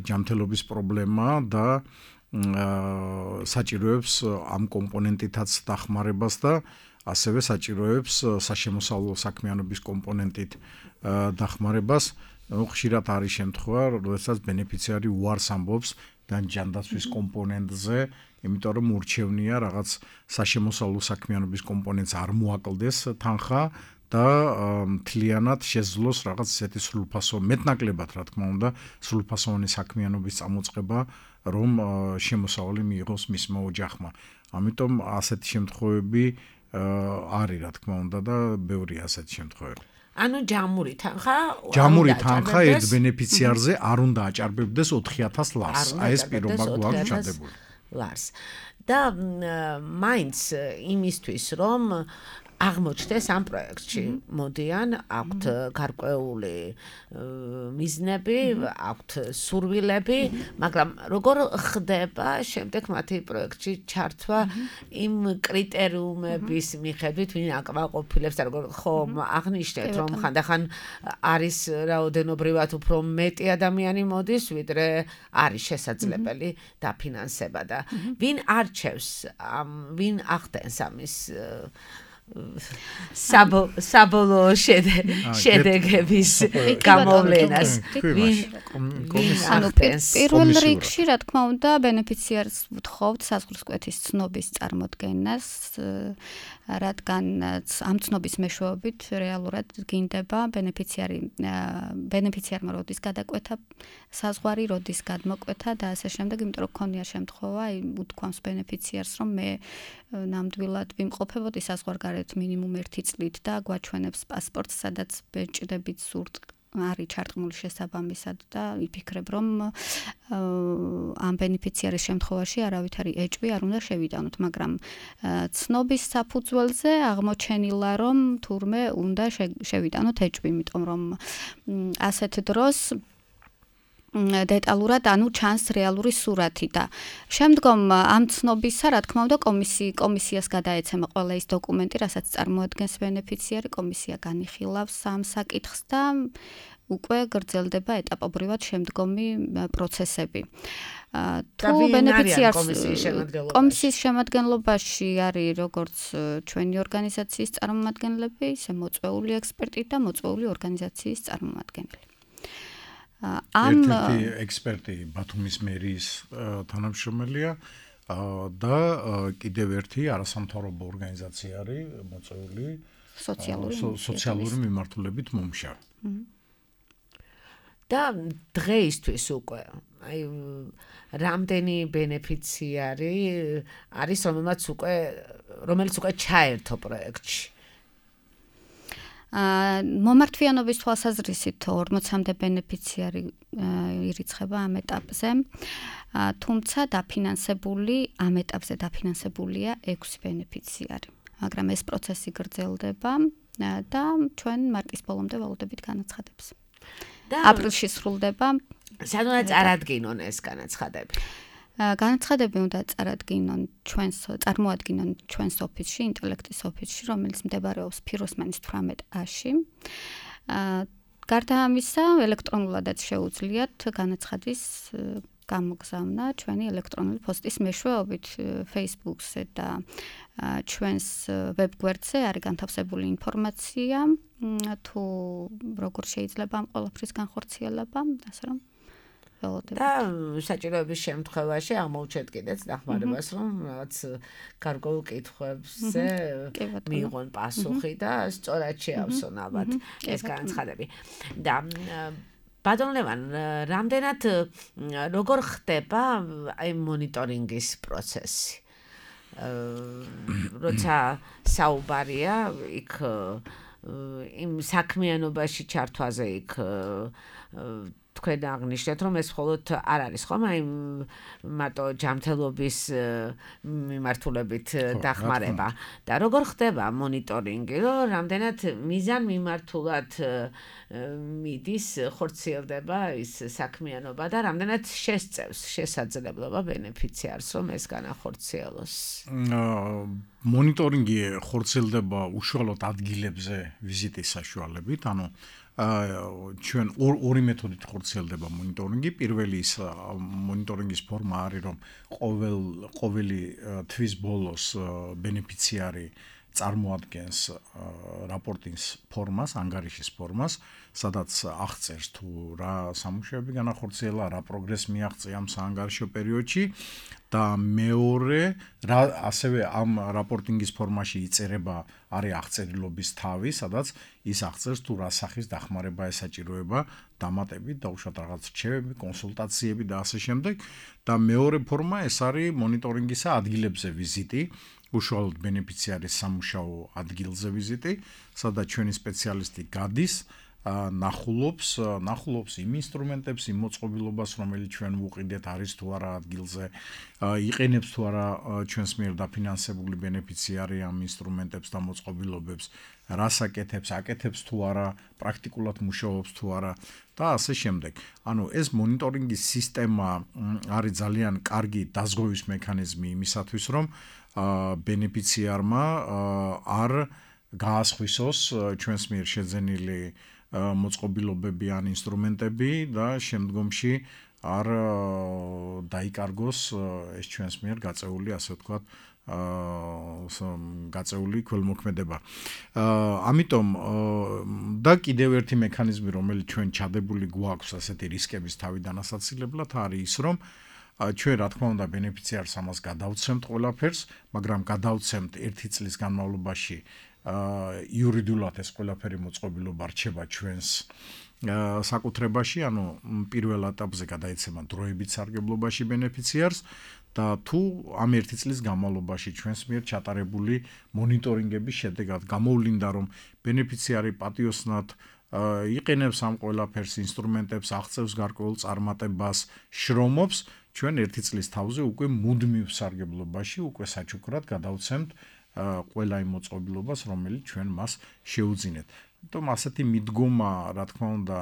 ჯანმრთელობის პრობლემა და საჭიროებს ამ კომპონენტითაც დახმარებას და ასევე საჭიროებს საშემოსავლო საქმიანობის კომპონენტით დახმარებას. ხშირად არის შემთხვევა, როდესაც ბენეფიციარი უარს ამბობს ჯანდაცვის კომპონენტზე, იმიტომ რომ ურჩევნია რაღაც საშემოსავლო საქმიანობის კომპონენტს არ მოაკლდეს თანხა და მთლიანად შეძლოს რაღაც ესეთი სრულფასოვანი, მეტნაკლებად რა თქმა უნდა, სრულფასოვანი საქმიანობის წამოწყება, რომ შემოსავალი მიიღოს მისმა ოჯახმა. ამიტომ ასეთი შემთხვევები არის რა თქმა უნდა და ბევრია ასეთი შემთხვევები. ანუ ჯამური თანხა ჯამური თანხა ერთ ბენეფიციარზე არ უნდა აჭარბებდეს ოთხი ათას ლარს. აი ეს პირობა გვაქვს ჩადებული. ლარს. და მაინც იმისთვის რომ აღმოჩნდეს ამ პროექტში, მოდიან, აქვთ გარკვეული მიზნები, აქვთ სურვილები, მაგრამ როგორ ხდება შემდეგ მათი პროექტში ჩართვა იმ კრიტერიუმების მიხედვით, ვინ აკმაყოფილებს და როგორ ხომ აღნიშნეთ, რომ ხანდახან არის რაოდენობრივად უფრო მეტი ადამიანი მოდის, ვიდრე არის შესაძლებელი დაფინანსება და ვინ არჩევს, ვინ ახდენს ამის საბოლოო შედეგების გამოვლენას ანუ პირველ რიგში რა თქმა უნდა ბენეფიციარს ვთხოვთ საზღვრისკვეთის ცნობის წარმოდგენას, რადგან ამ ცნობის მეშვეობით რეალურად გინდება ბენეფიციარი ბენეფიციარმა როდის გადაკვეთა საზღვარი, როდის გადმოკვეთა და ასე შემდეგ, იმიტომ რომ ქონია შემთხვევა, უთქვამს ბენეფიციარს, რომ მე ნამდვილად ვიმყოფებოდი საზღვარგარეთ მინიმუმ ერთი წლით და გვაჩვენებს პასპორტს, სადაც ბეჭდებით სურთ არის ჩართმული შესაბამისად და ვიფიქრებ, რომ ამ ბენეფიციარის შემთხვევაში არავითარი ეჭვი არ უნდა შევიტანოთ, მაგრამ ცნობის საფუძველზე აღმოჩენილა, რომ თურმე უნდა შევიტანოთ ეჭვი, იმიტომ რომ ასეთ დროს დეტალურად ანუ ჩანს რეალური სურათი და შემდგომ ამ ცნობისა, რა თქმა უნდა, კომისი კომისიას გადაეცემა ყველა ის დოკუმენტი, რასაც წარმოადგენს ბენეფიციარი, კომისია განიხილავს ამ საკითხს და უკვე გრძელდება ეტაპობრივად შემდგომი პროცესები. თუ ბენეფიციარს კომისიის შემადგენლობაში არის როგორც ჩვენი ორგანიზაციის წარმომადგენლები, ისე მოწვეული ექსპერტი და მოწვეული ორგანიზაციის წარმომადგენელი. ამ ერთი ექსპერტი ბათუმის მერიის თანამშრომელია და კიდევ ერთი არასამთავრობო ორგანიზაცია არის მოწვეული სოციალური მიმართულებით მომშავე. და დღეისთვის უკვე აი რამდენი ბენეფიციარი არის რომელმაც უკვე რომელიც უკვე ჩაერთო პროექტში. მომართვიანობის თვალსაზრისით ორმოცამდე ბენეფიციარი ირიცხება ამ ეტაპზე, თუმცა დაფინანსებული ამ ეტაპზე დაფინანსებულია ექვსი ბენეფიციარი, მაგრამ ეს პროცესი გრძელდება და ჩვენ მარტის ბოლომდე ვალოდებით განაცხადებს. აპრილში სრულდება. სადაც არადგინონ ეს განაცხადები. განაცხადები უნდა წარადგინონ ჩვენს წარმოადგინონ ჩვენს ოფისში, ინტელექტის ოფისში, რომელიც მდებარეობს ფიროსმანის თვრამეტ ათში. გარდა ამისა, ელექტრონულადაც შეუძლიათ განაცხადის გამოგზავნა ჩვენი ელექტრონული პოსტის მეშვეობით Facebook-ზე და ჩვენს ვებგვერდზე არის განთავსებული ინფორმაცია, თუ როგორ შეიძლება ამ ყველაფრის განხორციელება, ასე რომ და საჭიროების შემთხვევაში აღმოუჩეთ კიდეც დახმარებას, რომ რაღაც გარკვეულ კითხვებზე მიიღონ პასუხი და სწორად შეავსონ ალბათ ეს განაცხადები. და ბატონ ლევან, რამდენად როგორ ხდება აი მონიტორინგის პროცესი? როცა საუბარია იქ იმ საქმიანობაში ჩართვაზე იქ თქვენ აღნიშნეთ, რომ ეს მხოლოდ არ არის ხომ აი მარტო ჯანმრთელობის მიმართულებით დახმარება და როგორ ხდება მონიტორინგი, რომ რამდენად მიზან მიმართულად მიდის ხორციელდება ის საქმიანობა და რამდენად შესწევს შესაძლებლობა ბენეფიციარს, რომ ეს განახორციელოს. მონიტორინგი ხორციელდება უშუალოდ ადგილებზე ვიზიტის საშუალებით, ანუ ჩვენ ორი მეთოდით ხორციელდება მონიტორინგი. პირველი ის მონიტორინგის ფორმა არის, რომ ყოველ ყოველი თვის ბოლოს ბენეფიციარი წარმოადგენს რაპორტის ფორმას, ანგარიშის ფორმას, სადაც აღწერს თუ რა სამუშაოები განახორციელა, რა პროგრესი მიაღწია ამ საანგარიშო პერიოდში და მეორე რა ასევე ამ რაპორტინგის ფორმაში იწერება არის აღწერილობის თავი, სადაც ის აღწერს თუ რა სახის დახმარება ესაჭიროება დამატებით და უშუალოდ რაღაც რჩევები, კონსულტაციები და ასე შემდეგ და მეორე ფორმა ეს არის მონიტორინგისა ადგილებზე ვიზიტი, უშუალოდ ბენეფიციარის სამუშაო ადგილზე ვიზიტი, სადაც ჩვენი სპეციალისტი გადის, ნახულობს, ნახულობს იმ ინსტრუმენტებს, იმ მოწყობილობას, რომელიც ჩვენ ვუყიდეთ, არის თუ არა ადგილზე, იყენებს თუ არა ჩვენს მიერ დაფინანსებული ბენეფიციარი ამ ინსტრუმენტებს და მოწყობილობებს, რას აკეთებს, აკეთებს თუ არა, პრაქტიკულად მუშაობს თუ არა და ასე შემდეგ. ანუ ეს მონიტორინგის სისტემა არის ძალიან კარგი დაზღვევის მექანიზმი იმისათვის, რომ ბენეფიციარმა არ გაასხვისოს ჩვენს მიერ შეძენილი მოწყობილობები ან ინსტრუმენტები და შემდგომში არ დაიკარგოს ეს ჩვენს მიერ გაწეული, ასე ვთქვათ, აა გაწეული ქველმოქმედება. აა ამიტომ და კიდევ ერთი მექანიზმი, რომელიც ჩვენ ჩადებული გვაქვს ასეთი რისკების თავიდან ასაცილებლად, არის ის, რომ ჩვენ რა თქმა უნდა ბენეფიციარს ამას გადავცემთ ყველაფერს, მაგრამ გადავცემთ ერთი წლის განმავლობაში აა იურიდიულად ეს ყველაფერი მოწყობილობა რჩება ჩვენს საკუთრებაში, ანუ პირველ ეტაპზე გადაიცემა დროებით სარგებლობაში ბენეფიციარს და თუ ამ ერთი წლის განმავლობაში ჩვენს მიერ ჩატარებული მონიტორინგების შედეგად გამოვლინდა, რომ ბენეფიციარი პატიოსნად იყენებს ამ ყველაფერს, ინსტრუმენტებს, აღწევს გარკვეულ წარმატებას, შრომობს, ჩვენ ერთი წლის თავზე უკვე მუდმივ სარგებლობაში, უკვე საჩუქრად გადავცემთ ყველა იმ მოწყობილობას, რომელიც ჩვენ მას შეუძინეთ. Tom ასეთი მიდგომა, რა თქმა უნდა,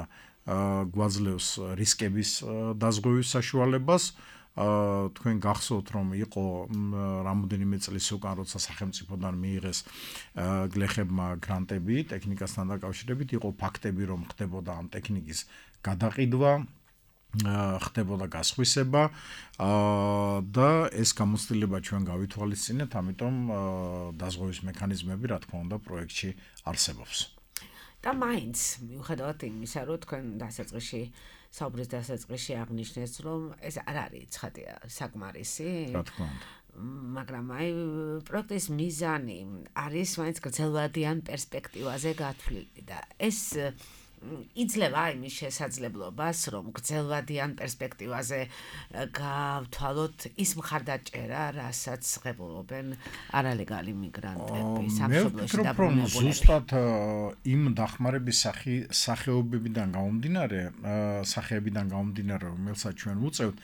გვაძლევს რისკების დაზღვევის საშუალებას. თქვენ გახსოვთ, რომ იყო რამოდენიმე წლის უკან, როცა სახელმწიფოდან მიიღეს გლეხებმა გრანტები ტექნიკასთან დაკავშირებით, იყო ფაქტები, რომ ხდებოდა ამ ტექნიკის გადაყიდვა, ხდებოდა გასხვისება და ეს გამოცდილება ჩვენ გავითვალისწინეთ, ამიტომ დაზღვევის მექანიზმები, რა თქმა უნდა, პროექტში არსებობს. და მაინც მიუხედავად იმისა, რომ თქვენ დასაწყისში საუბრის დასაწყისში აღნიშნეს, რომ ეს არ არის ცხადია საკმარისი. რა თქმა უნდა. მაგრამ აი პროექტის მიზანი არის მაინც გრძელვადიან პერსპექტივაზე გათვლილი და ეს იძლევა იმის შესაძლებლობას, რომ გრძელვადიან პერსპექტივაზე გავთვალოთ ის მხარდაჭერა, რასაც ღებულობენ არალეგალი მიგრანტები სამშობლოში დაბრუნებული. ზუსტად იმ დახმარების სახეობებიდან გამომდინარე, სახეებიდან გამომდინარე, რომელსაც ჩვენ ვუწევთ,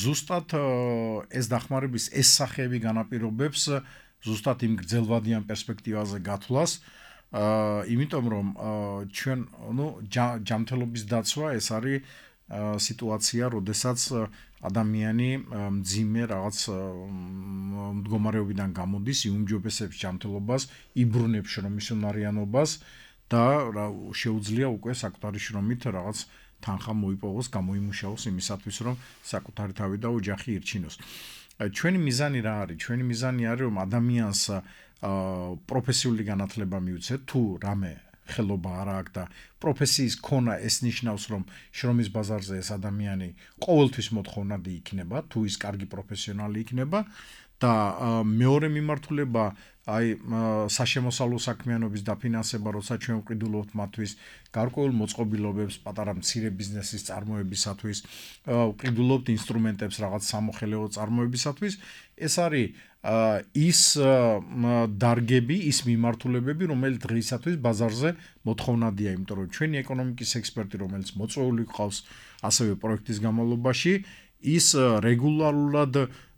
ზუსტად ეს დახმარების ეს სახეები განაპირობებს ზუსტად იმ გრძელვადიან პერსპექტივაზე გათვლას. აა იმიტომ რომ ჩვენ ნუ ჯანმრთელობის დაცვა ეს არის სიტუაცია, როდესაც ადამიანი მძიმე რაღაც მდგომარეობიდან გამოდის, იუმჯობესებს ჯანმრთელობას, იბრუნებს შრომის უნარიანობას და შეუძლია უკვე საკუთარი შრომით რაღაც თანხა მოიპოვოს, გამოიმუშაოს იმისათვის, რომ საკუთარი თავი და ოჯახი ირჩინოს. ჩვენი მიზანი რა არის? ჩვენი მიზანი არის, რომ ადამიანს პროფესიული განათლება მიუცეთ, თუ რამე ხელობა არ აქვს და პროფესიის ქონა ეს ნიშნავს, რომ შრომის ბაზარზე ეს ადამიანი ყოველთვის მოთხოვნადი იქნება, თუ ის კარგი პროფესიონალი იქნება და მეორე მიმართულება აი საშემოსავლო საქმიანობის დაფინანსება, როცა ჩვენ ვყიდულობთ მათთვის გარკვეულ მოწყობილობებს, პატარა მცირე ბიზნესის წარმოებისათვის, ვყიდულობთ ინსტრუმენტებს რაღაც სამოხელეო წარმოებისათვის, ეს არის ის დარგები, ის მიმართულებები, რომელიც დღეისათვის ბაზარზე მოთხოვნადია, იმიტომ რომ ჩვენი ეკონომიკის ექსპერტი, რომელიც მოწვეული ყავს ასევე პროექტის განმავლობაში, ის რეგულარულად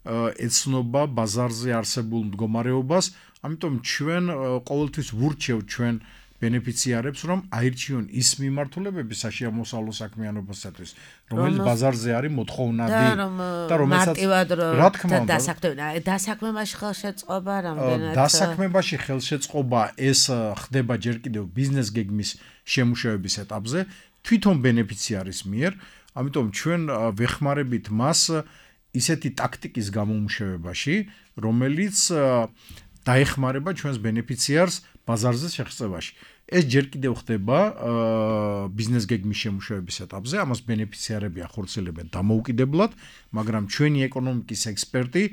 ეცნობა ბაზარზე არსებულ მდგომარეობას, ამიტომ ჩვენ ყოველთვის ვურჩევთ ჩვენ ბენეფიციარებს, რომ აირჩიონ ის მიმართულებები საშემოსავლო საქმიანობისათვის, რომელიც ბაზარზე არის მოთხოვნადი და რომელსაც რა თქმა უნდა დასაქმებაში ხელშეწყობა რამდენად დასაქმებაში ხელშეწყობა ეს ხდება ჯერ კიდევ ბიზნეს გეგმის შემუშავების ეტაპზე თვითონ ბენეფიციარის მიერ, ამიტომ ჩვენ ვეხმარებით მას ისეთი ტაქტიკის გამომუშავებაში, რომელიც დაეხმარება ჩვენს ბენეფიციარს ბაზარზე შეღწევაში. ეს ჯერ კიდევ ხდება ბიზნეს გეგმის შემუშავების ეტაპზე, ამას ბენეფიციარები ახორციელებენ დამოუკიდებლად, მაგრამ ჩვენი ეკონომიკის ექსპერტი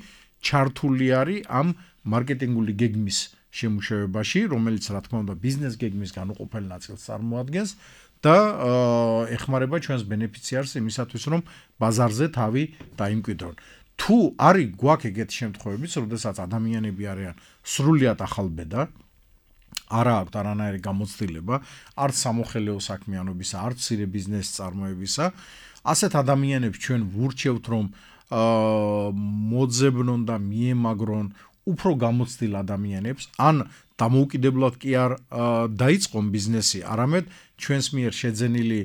ჩართული არის ამ მარკეტინგული გეგმის შემუშავებაში, რომელიც რა თქმა უნდა ბიზნეს გეგმის განუყოფელ ნაწილს წარმოადგენს და ეხმარება ჩვენს ბენეფიციარს იმისათვის, რომ ბაზარზე თავი დაიმკვიდრონ. თუ არის გვაქვს ეგეთი შემთხვევებიც, როდესაც ადამიანები არიან სრულიად ახალბედა, არა აქვთ არანაირი გამოცდილება, არც სამოხელეო საქმიანობისა, არც მცირე ბიზნესის წარმოებისა, ასეთ ადამიანებს ჩვენ ვურჩევთ, რომ მოძებნონ და მიემაგრონ უფრო გამოცდილ ადამიანებს, ან დამოუკიდებლად კი არ დაიწყონ ბიზნესი, არამედ ჩვენს მიერ შეძენილი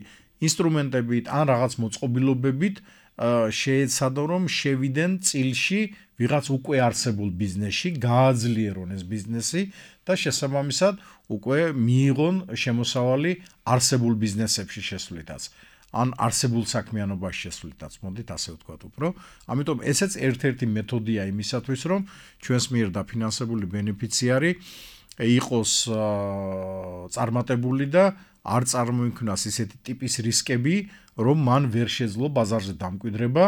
ინსტრუმენტებით ან რაღაც მოწყობილობებით შეეცადონ, რომ შევიდნენ წილში ვიღაც უკვე არსებულ ბიზნესში, გააძლიერონ ეს ბიზნესი და შესაბამისად უკვე მიიღონ შემოსავალი არსებულ ბიზნესებში შესვლითაც. ან არსებულ საქმიანობაში შესვლითაც მოდით ასე ვთქვათ უფრო. ამიტომ ესეც ერთ-ერთი მეთოდია იმისათვის, რომ ჩვენს მიერ დაფინანსებული ბენეფიციარი იყოს წარმატებული და არ წარმოიქმნას ისეთი ტიპის რისკები, რომ მან ვერ შეძლო ბაზარზე დამკვიდრება,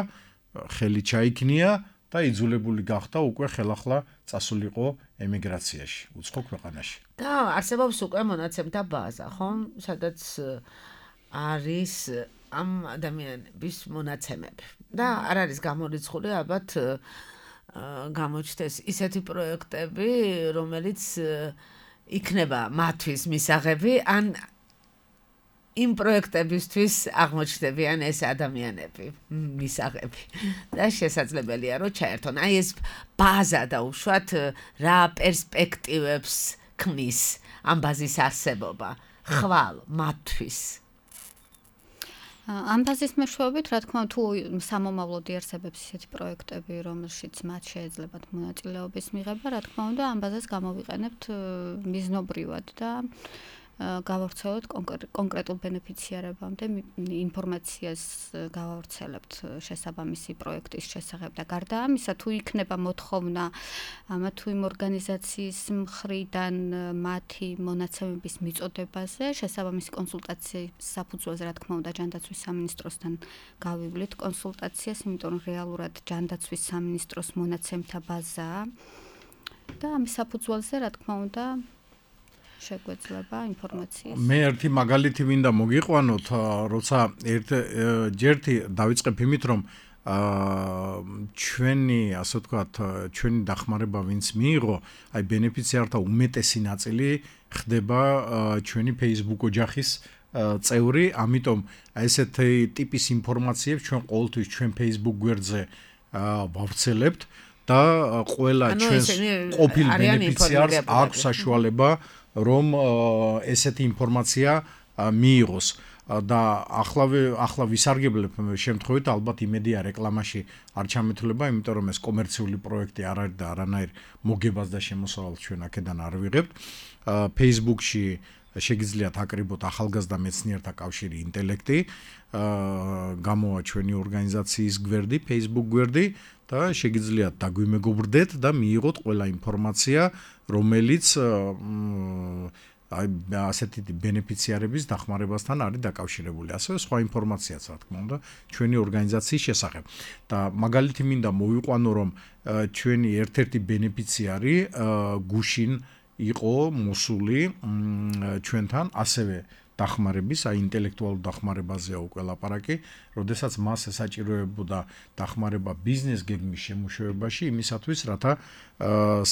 ხელი ჩაიქნია და იძულებული გახდა უკვე ხელახლა წასულიყო ემიგრაციაში, უცხო ქვეყანაში. და არსებობს უკვე მონაცემთა ბაზა, ხო? სადაც არის ამ ადამიანების მონაცემები. და არ არის გამორიცხული, ალბათ გამოჩნდეს ისეთი პროექტები, რომელიც იქნება მათთვის მისაღები, ან იმ პროექტებისთვის აღმოჩნდებიან ეს ადამიანები მისაღები და შესაძლებელია რომ ჩაერთონ. აი ეს ბაზა და უშუალოდ რა პერსპექტივებს ქმნის ამ ბაზის არსებობა ხვალ მათთვის. ამ ბაზის მეშვეობით, რა თქმა უნდა, თუ სამომავლოდ იარსებებს ისეთი პროექტები, რომელშიც მათ შეეძლებათ მონაწილეობის მიღება, რა თქმა უნდა, ამ ბაზას გამოვიყენებთ მიზნობრივად და გავავრცელოთ კონკრეტულ ბენეფიციარებამდე ინფორმაციას გავავრცელებთ შესაბამისი პროექტის შესახებ და გარდა ამისა თუ იქნება მოთხოვნა ამა თუ იმ ორგანიზაციის მხრიდან მათი მონაცემების მიწოდებაზე შესაბამისი კონსულტაციის საფუძველზე რა თქმა უნდა ჯანდაცვის სამინისტროსთან გავივლით კონსულტაციას, იმიტომ რომ რეალურად ჯანდაცვის სამინისტროს მონაცემთა ბაზაა და ამის საფუძველზე რა თქმა უნდა შეგვეძლება ინფორმაციის. მე ერთი მაგალითი მინდა მოგიყვანოთ, როცა ერთი დავიწყებ იმით, რომ ჩვენი, ასე ვთქვათ, ჩვენი დახმარება ვინც მიიღო, აი ბენეფიციართა უმეტესი ნაწილი ხდება ჩვენი Facebook ოჯახის წევრი, ამიტომ ესეთი ტიპის ინფორმაციებს ჩვენ ყოველთვის ჩვენ Facebook გვერდზე ვავრცელებთ და ყველა ჩვენს ყოფილ ბენეფიციარს აქვს საშუალება რომ ესეთი ინფორმაცია მიიღოს და ახლავე ახლა ვისარგებლებ შემთხვევით ალბათ იმედია რეკლამაში არ ჩამეთვლება, იმიტომ რომ ეს კომერციული პროექტი არ არის და არანაირ მოგებას და შემოსავალს ჩვენ აქედან არ ვიღებთ. Facebook-ში შეგიძლიათ აკრიბოთ ახალგაზრდა მეცნიერთა კავშირი ინტელექტი, გამოვა ჩვენი ორგანიზაციის გვერდი, Facebook გვერდი და შეგიძლიათ დაგვიმეგობრდეთ და მიიღოთ ყველა ინფორმაცია, რომელიც აი ასეთი ბენეფიციარების დახმარებასთან არის დაკავშირებული. ასევე სხვა ინფორმაციაც რა თქმა უნდა ჩვენი ორგანიზაციის შესახებ. და მაგალითი მინდა მოვიყვანო, რომ ჩვენი ერთ-ერთი ბენეფიციარი გუშინ იყო მოსული ჩვენთან ასევე დახმარების, აი ინტელექტუალურ დახმარებაზეა უკვე ლაპარაკი, როდესაც მას ესაჭიროებოდა დახმარება ბიზნეს გეგმის შემუშავებაში, იმისათვის, რათა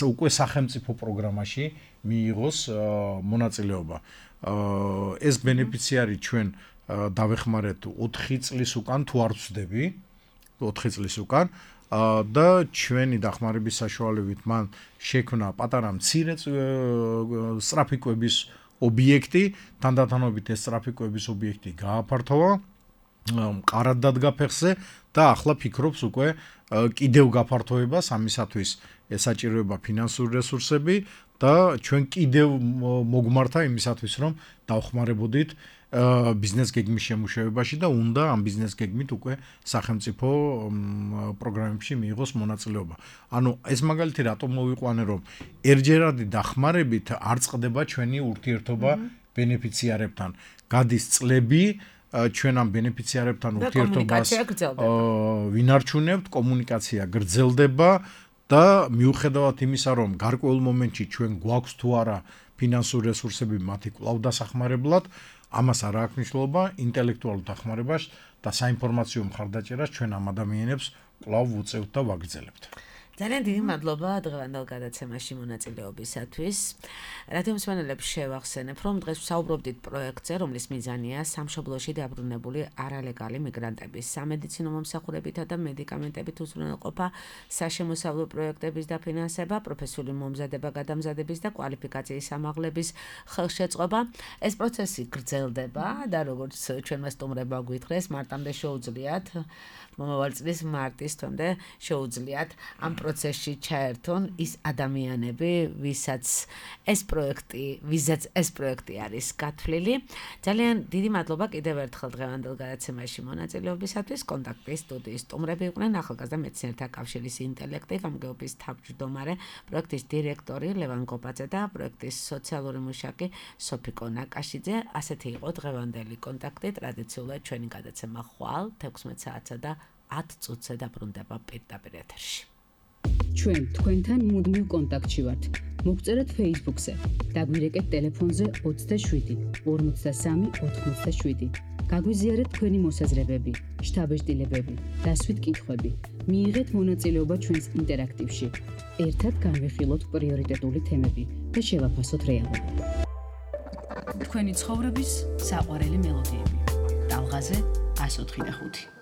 უკვე სახელმწიფო პროგრამაში მიიღოს მონაწილეობა. ეს ბენეფიციარი ჩვენ დავეხმარეთ ოთხი წლის უკან, თუ არ ვცდები, ოთხი წლის უკან და ჩვენი დახმარების საშუალებით მან შექმნა პატარა მცირე სწრაფიკვების ობიექტი, თანდათანობით ეს სწრაფიკვების ობიექტი გააფართოვა, მყარად დადგა ფეხზე და ახლა ფიქრობს უკვე კიდევ გაფართოებას, ამისათვის ესაჭიროება ფინანსური რესურსები და ჩვენ კიდევ მოგმართა იმისათვის, რომ დავხმარებოდით ბიზნეს გეგმის შემუშავებაში და უნდა ამ ბიზნეს გეგმით უკვე სახელმწიფო პროგრამებში მიიღოს მონაწილეობა. ანუ ეს მაგალითი რატომ მოვიყვანე, რომ ერთჯერადი დახმარებით არ წყდება ჩვენი ურთიერთობა ბენეფიციარებთან. გადის წლები ჩვენ ამ ბენეფიციარებთან ურთიერთობას ვინარჩუნებთ, კომუნიკაცია გრძელდება და მიუხედავად იმისა, რომ გარკვეულ მომენტში ჩვენ გვაქვს თუ არა ფინანსური რესურსები მათი კვლავ დასახმარებლად, ამას არ აქვს მნიშვნელობა, ინტელექტუალურ დახმარებას და საინფორმაციო მხარდაჭერას ჩვენ ამ ადამიანებს კვლავ ვუწევთ და ვაგრძელებთ. ძალიან დიდი მადლობა დღევანდელ გადაცემაში მონაწილეობისათვის. რადიო მსმენელებს შევახსენებ, რომ დღეს ვსაუბრობდით პროექტზე, რომლის მიზანია სამშობლოში დაბრუნებული არალეგალი მიგრანტების სამედიცინო მომსახურებითა და მედიკამენტებით უზრუნველყოფა, საშემოსავლო პროექტების დაფინანსება, პროფესიული მომზადება, გადამზადების და კვალიფიკაციის ამაღლების ხელშეწყობა. ეს პროცესი გრძელდება და როგორც ჩვენმა სტუმრებმა გვითხრეს, მარტამდე შეუძლიათ მომავალ წლის მარტის თვემდე შეუძლიათ ამ პროცესში ჩაერთონ ის ადამიანები, ვისაც ეს პროექტი, ვისაც ეს პროექტი არის გათვლილი. ძალიან დიდი მადლობა კიდევ ერთხელ დღევანდელ გადაცემაში მონაწილეობისათვის. კონტაქტის სტუდიის სტუმრები იყვნენ ახალგაზრდა მეცნიერთა კავშირის ინტელექტი გამგეობის თავმჯდომარე, პროექტის დირექტორი ლევან გობაძე და პროექტის სოციალური მუშაკი სოფიკო ნაკაშიძე. ასეთი იყო დღევანდელი კონტაქტი. ტრადიციულად ჩვენი გადაცემა ხვალ თექვსმეტ საათსა და ათ წუთზე დაბრუნდება პირდაპირ ეთერში. ჩვენ თქვენთან მუდმივ კონტაქტში ვართ. მოგწერეთ Facebook-ზე, დაგვირეკეთ ტელეფონზე ოცდაშვიდი ორმოცდასამი ოთხმოცდაშვიდი. გაგვიზიარეთ თქვენი მოსაზრებები, შთაბეჭდილებები, დასვით კითხვები. მიიღეთ მონაწილეობა ჩვენს ინტერაქტივში. ერთად განვიხილოთ პრიორიტეტული თემები და შევაფასოთ რეალობა. თქვენი ცხოვრების საყვარელი მელოდიები. ტალღაზე ას ოთხი და ხუთი.